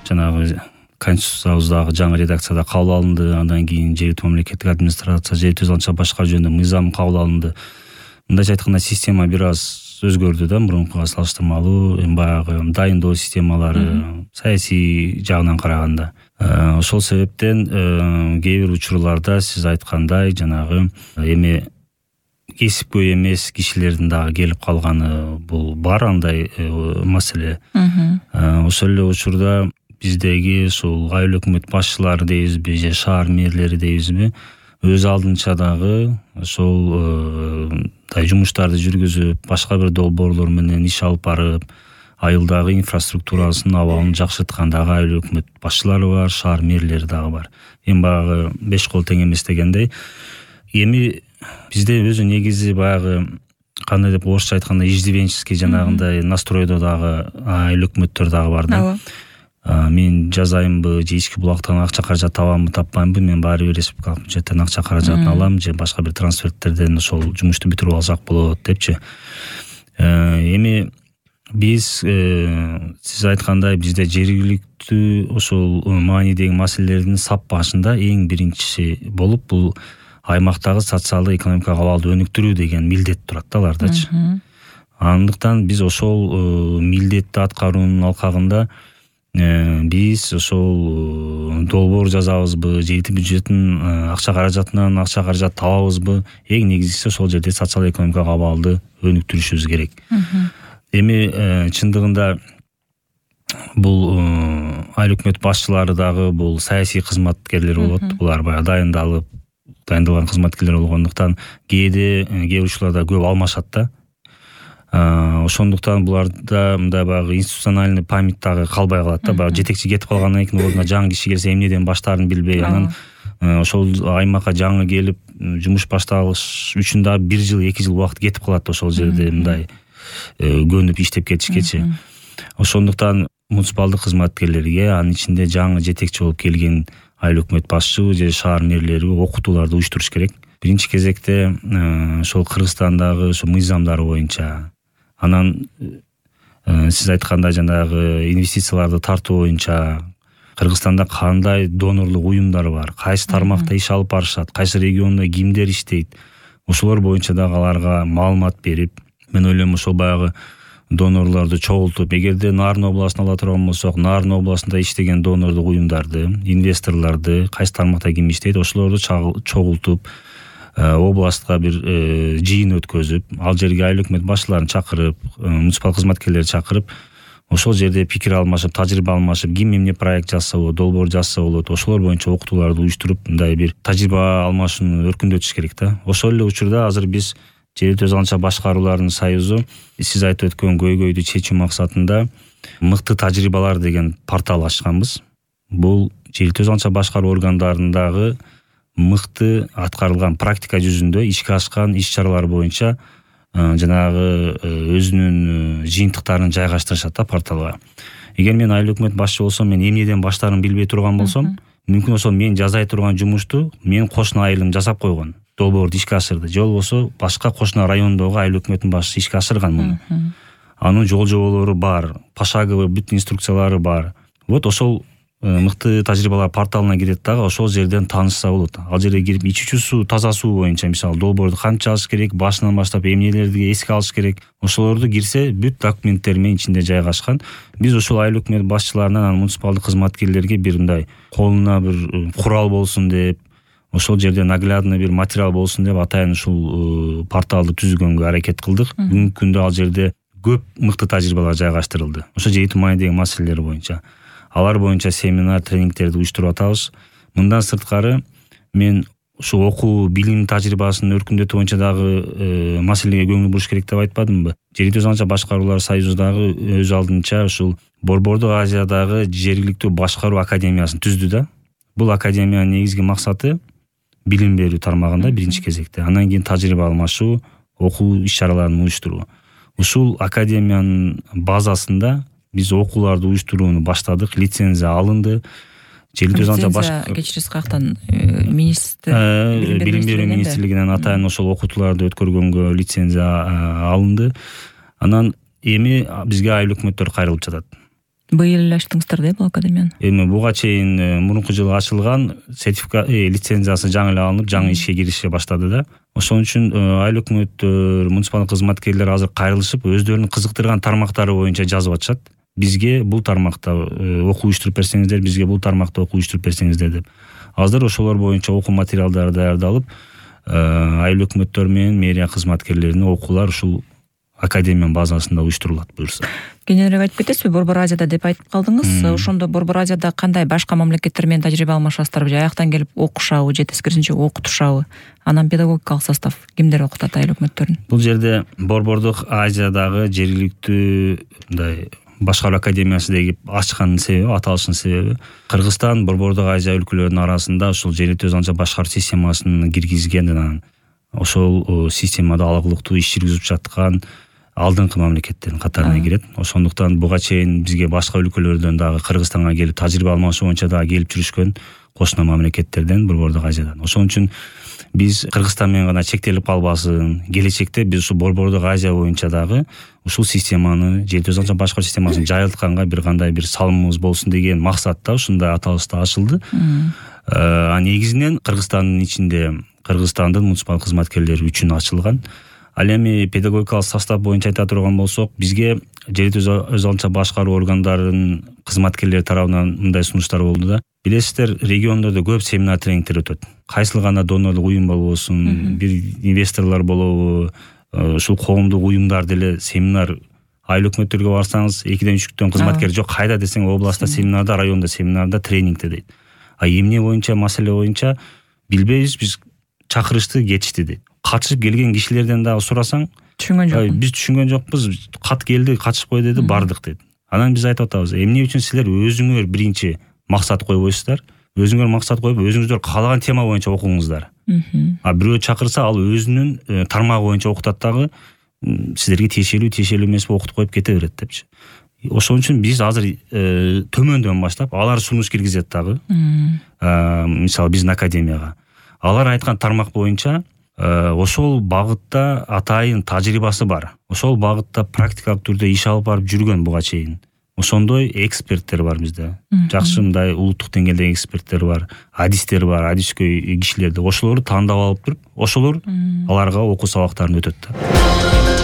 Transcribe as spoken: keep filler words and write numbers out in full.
жанагы конституциябыздагы жаңы редакцияда кабыл алынды. Андан кийин жергиликтүү мамлекеттик администрация, жер түзүлгөнчө башкаруу жөнүндө мыйзам кабыл алынды. Мындайча айтканда система бир аз өзгөрдү да, мурункуга салыштырмалуу. Эми баягы дайындоо системалары, саясий жагынан караганда. Ошол себептен кээ бир учурларда сиз айткандай жанагы эми кесипкөй эмес кишилердин дагы келип калганы бул бар, андай маселе. Ошол эле учурда биздеги ушул айыл өкмөт башчылары дейбизби же шаар мэрлери дейбизби, өз алдынча дагы ошол жумуштарды жүргүзүп, башка бир долбоорлор менен иш алып барып, айылдагы инфраструктурасын, абалын жакшырткан дагы айыл өкмөт башчылары бар, шаар мэрлери дагы бар. Эми баягы беш кол тең эмес дегендей. Эми бизде өзү негизи баягы кандай деп орусча айтканда иждивенческий жанагындай настройдо дагы айыл өкмөттөр дагы бар да. Мен жазайынбы же ички булактан акча каражат табамбы таппаймбы, мен баары бир республикалык бюджеттен акча каражатын алам же башка бир трансферттерден ошол жумушту бүтүрүп алсак болот депчи. Эми биз сиз айткандай бизде жергиликтүү ошол маанидеги маселелердин сап башында эң биринчиси болуп бул аймактагы социалдык экономикалык абалды өнүктүрүү деген милдет турат да алардачы. Андыктан биз ошол милдетти аткаруунун алкагында биз ошол долбоор жазабызбы, жергиликтүү бюджеттин акча каражатынан акча каражат табабызбы, эң негизгиси ошол жерде социалдык экономикалык абалды өнүктүрүшүбүз керек. Эми чындыгында бул айыл өкмөт башчылары дагы бул саясий кызматкерлер болот. Булар баягы дайындалып, дайындалган кызматкерлер болгондуктан кээде кээ учурларда көп алмашат да. Ошондуктан буларда мындай баягы институциональный память дагы калбай калат да. Баягы жетекчи кетип калгандан кийин ордуна жаңы киши келсе эмнеден баштаарын билбей, анан ошол аймакка жаңы келип жумуш башталыш үчүн да бир жыл, эки жыл убакыт кетип калат ошол жерде мындай көнүп иштеп кетишкечи. Ошондуктан муниципалдык кызматкерлерге, анын ичинде жаңы жетекчи болуп келген айыл өкмөт башчы же шаар мэрлерге окутууларды уюштуруш керек. Биринчи кезекте ошол Кыргызстандагы ошо мыйзамдар боюнча, анан сиз айткандай жанагы инвестицияларды тартуу боюнча Кыргызстанда кандай донорлук уюмдар бар, кайсы тармакта иш алып барышат, кайсы региондо кимдер иштейт, ошолор боюнча дагы аларга маалымат берип, мен ойлойм ошол баягы донорлорду чогултуп, эгерде Нарын областын ала турган болсок, Нарын областында иштеген донорлук уюмдарды, инвесторлорду, кайсы тармакта ким иштейт, ошолорду чогултуп, областка бир жыйын өткөзүп, ал жерге айыл өкмөт башчыларын чакырып, муниципал кызматкерлерди чакырып, ошол жерде пикир алмашып, тажрыйба алмашып, ким эмне проект жазса болот, долбоор жазса болот, ошолор боюнча окутууларды уюштуруп, мындай бир тажрыйба алмашууну өркүндөтүш керек да. Ошол эле учурда азыр биз жергиликтүү өзгөчө башкаруулардын союзу сиз айтып өткөн көйгөйдү чечүү максатында мыкты тажрыйбалар деген портал ачканбыз. Бул жергиликтүү өзгөчө башкаруу органдарындагы мыкты аткарылган практика жүзүндө ишке ашкан иш-чаралар боюнча жанагы өзүнүн жыйынтыктарын жайгаштырышат да порталга. Эгер мен айыл өкмөт башчы болсом, мен эмнеден баштаарын билбей турган болсом, мүмкүн ошол мен жазай турган жумушту менин кошуна айылым жасап койгон, долбоорду ишке ашырды. Же болбосо башка кошуна райондогу айыл өкмөтүнүн башчысы ишке ашырган муну. Анын жол жоболору бар, пошаговый бүт инструкциялары бар. Вот ошол мыкты тажрыйбалар порталына кирет дагы, ошол жерден таанышса болот. Ал жерге кирип ичүүчү суу, таза суу боюнча мисалы долбоорду канча жазыш керек, башынан баштап эмнелерди эске алыш керек, ошолорду кирсе бүт документтер менен ичинде жайгашкан. Биз ошол айыл өкмөт башчыларынан муниципалдык кызматкерлерге бир мындай колуна бир курал болсун деп, ошол жерде наглядный бир материал болсун деп атайын ушул порталды түзгөнгө аракет кылдык. Бүгүнкү күндө ал жерде көп мыкты тажрыйбалар жайгаштырылды. Ошо жергиликтүү маанидеги маселелер боюнча. Алар боюнча семинар, тренингтерди уюштуруп атабыз. Мындан сырткары мен ушу окуу, билим тажрыйбасын өркүндөтүү боюнча дагы маселеге көңүл буруш керек деп айтпадымбы? Жергиликтүү өзгөчө башкаруулар союзу дагы өз алдынча ушул Борбордук Азиядагы жергиликтүү башкаруу академиясын түздү да. Бул академиянын негизги максаты билим берүү тармагында биринчи кезекте, андан кийин тажрыйба алмашуу, окуу иш-чараларын уюштуруу. Ушул академиянын базасында биз окууларды уюштурууну баштадык, лицензия алынды. Жергиликтүү өзгөчө башкаруу кечирисиз каяктан министр билим берүү министрлигинен атайын ошол окутууларды өткөргөнгө лицензия алынды. Анан эми бизге айыл өкмөттөр кайрылып жатат. Быйыл эле ачтыңыздар да бул академияны? Эми буга чейин мурунку жылы ачылган, сертификат лицензиясы жаңы эле алынып, жаңы ишке кирише баштады да. Ошон үчүн айыл өкмөттөр, муниципалдык кызматкерлер азыр кайрылышып, өздөрүнүн кызыктырган тармактары боюнча жазып атышат. Бизге бул тармакта окуу уюштуруп берсеңиздер, бизге бул тармакта окуу уюштуруп берсеңиздер деп. Азыр ошолор боюнча окуу материалдары даярдалып, айыл өкмөттөр менен мэрия кызматкерлеринин окуулар ушул академиянын базасында уюштурулат буюрса. Кененирээк айтып кетесизби? Борбор Азияда деп айтып калдыңыз. Ошондо Борбор Азияда кандай башка мамлекеттер менен тажрыйба алмашасыздарбы? Же аяктан келип окушабы, же тескерисинче окутушабы? Анан педагогикалык состав кимдер окутат айыл өкмөттөрүн? Бул жерде Борбордук Азиядагы жергиликтүү мындай башкаруу академиясы деп ачканын себеби, аталышынын себеби, Кыргызстан Борбордук Азия өлкөлөрүнүн арасында ушул жергиликтүү өзү башкаруу системасын киргизген, анан ошол системада алгылыктуу иш жүргүзүп жаткан алдыңкы мамлекеттердин катарына кирет. Ошондуктан буга чейин бизге башка өлкөлөрдөн дагы Кыргызстанга келип тажрыйба алмашуу боюнча дагы келип жүрүшкөн кошуна мамлекеттерден, Борбордук Азиядан. Ошон үчүн биз Кыргызстан менен гана чектелип калбасын, келечекте биз ушул Борбордук Азия боюнча дагы ушул системаны, жергиликтүү өзү башкаруу системасын жайылтканга бир кандай бир салымыбыз болсун деген максатта ушундай аталышта ачылды. А негизинен Кыргызстандын ичинде Кыргызстандын муниципалдык кызматкерлери үчүн ачылган. Ал эми педагогикалык состав боюнча айта турган болсок, бизге жергиликтүү өз алдынча башкаруу органдарынын кызматкерлери тарабынан мындай сунуштар болду да. Билесиздер, региондордо көп семинар тренингтер өтөт. Кайсыл гана донорлук уюм болбосун, бир инвесторлор болобу, ушул коомдук уюмдар деле семинар, айыл өкмөттөргө барсаңыз экиден үч күндөн кызматкер жок, кайда десең областта семинарда, районда семинарда, тренингде дейт. А эмне боюнча, маселе боюнча билбейбиз, биз чакырышты, кетишти дейт. Катышып келген кишилерден дагы сурасаң, түшүнгөн жокпуз. Биз түшүнгөн жокпуз, кат келди, катышып кой деди, бардык дейт. Анан биз айтып атабыз, эмне үчүн силер өзүңөр биринчи максат койбойсуздар? Өзүңөр максат коюп, өзүңүздөр каалаган тема боюнча окуңуздар. А бирөө чакырса, ал өзүнүн тармагы боюнча окутат дагы, силерге тиешелүү, тиешелүү эмеспи, окутуп коюп кете берет депчи. Ошон үчүн биз азыр төмөндөн баштап, алар сунуш киргизет дагы. Мисалы биздин академияга. Алар айткан тармак боюнча ошол багытта атайын тажрыйбасы бар. Ошол багытта практикалык түрдө иш алып барып жүргөн буга чейин. Ошондой эксперттер бар бизде. Жакшы мындай улуттук деңгээлдеги эксперттер бар, адистер бар, адискөй кишилер. Ошолорду тандап алып туруп, ошолор аларга окуу сабактарын өтөт да.